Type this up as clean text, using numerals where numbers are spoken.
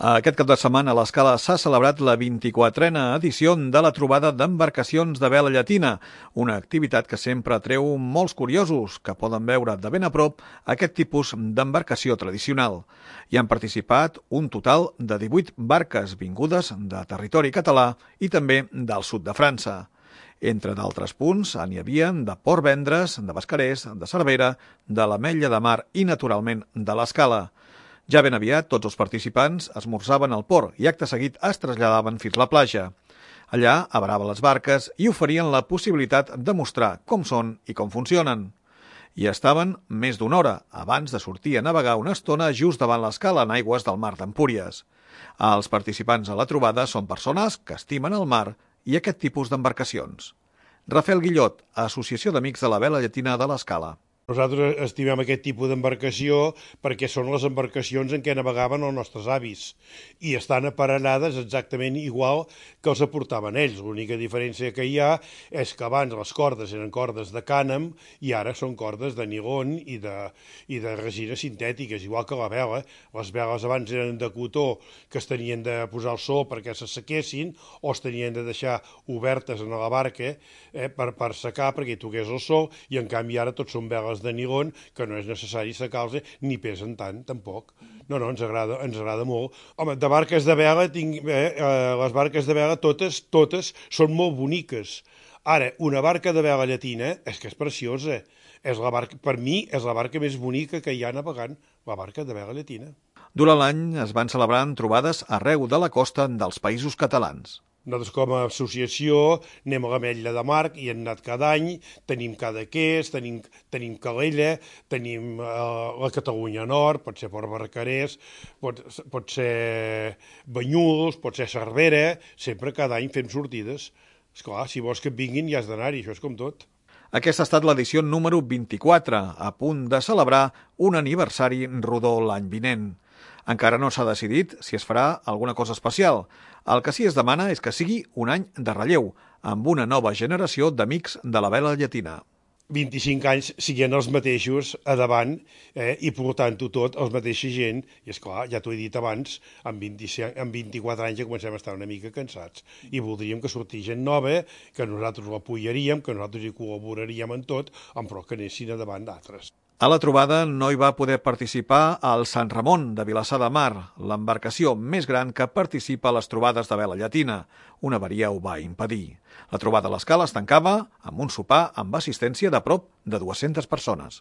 Aquest cap de setmana a l'Escala s'ha celebrat la 24a edició de la trobada d'embarcacions de vela llatina, una activitat que sempre atreu molts curiosos que poden veure de ben a prop aquest tipus d'embarcació tradicional. Hi han participat un total de 18 barques vingudes de territori català i també del sud de França. Entre d'altres punts, n'hi havia de Port Vendres, de Bascarès, de Cervera, de l'Ametlla de Mar i, naturalment, de l'Escala. Ja ben aviat, tots els participants esmorzaven al port i acte seguit es traslladaven fins a la platja. Allà avaraven les barques i oferien la possibilitat de mostrar com són i com funcionen. Hi estaven més d'una hora abans de sortir a navegar una estona just davant l'Escala en aigües del mar d'Empúries. Els participants a la trobada són persones que estimen el mar i aquest tipus d'embarcacions. Rafael Guillot, Associació d'Amics de la Vela Llatina de l'Escala. Nosaltres estimem aquest tipus d'embarcació perquè són les embarcacions en què navegaven els nostres avis i estan aparellades exactament igual que els aportaven ells. L'única diferència que hi ha és que abans les cordes eren cordes de cànem i ara són cordes de nilon i de resines sintètiques, igual que la vela. Les veles abans eren de cotó que es tenien de posar al sol perquè s'assequessin o es tenien de deixar obertes en la barca per secar perquè hi toqués el sol, i en canvi ara tots són veles de nilon que no és necessari secar-los ni pesen tant, tampoc. No, ens agrada molt. Home, de barques de vela, les barques de vela totes són molt boniques. Ara, una barca de vela llatina és que és preciosa. Per mi és la barca més bonica que hi ha navegant, la barca de vela llatina. Durant l'any es van celebrant trobades arreu de la costa dels Països Catalans. Nosaltres com a associació anem a l'Ametlla de Mar i hem anat cada any, tenim Cadaqués, tenim Calella, tenim la Catalunya Nord, pot ser Port Barcarès, pot ser Banyuls, pot ser Cervera, sempre cada any fem sortides. Esclar, si vols que et vinguin ja has d'anar-hi, això és com tot. Aquesta ha estat l'edició número 24, a punt de celebrar un aniversari rodó l'any vinent. Encara no s'ha decidit si es farà alguna cosa especial. El que sí es demana és que sigui un any de relleu, amb una nova generació d'amics de la vela llatina. 25 anys siguent els mateixos a davant i portant-ho tot els mateixa gent. I esclar, ja t'ho he dit abans, amb 24 anys ja comencem a estar una mica cansats. I voldríem que sortís gent nova, que nosaltres l'apoyaríem, que nosaltres hi col·laboraríem en tot, però que anessin a davant d'altres. A la trobada no hi va poder participar el Sant Ramon de Vilassar de Mar, l'embarcació més gran que participa a les trobades de vela llatina. Una avaria ho va impedir. La trobada a l'Escala es tancava amb un sopar amb assistència de prop de 200 persones.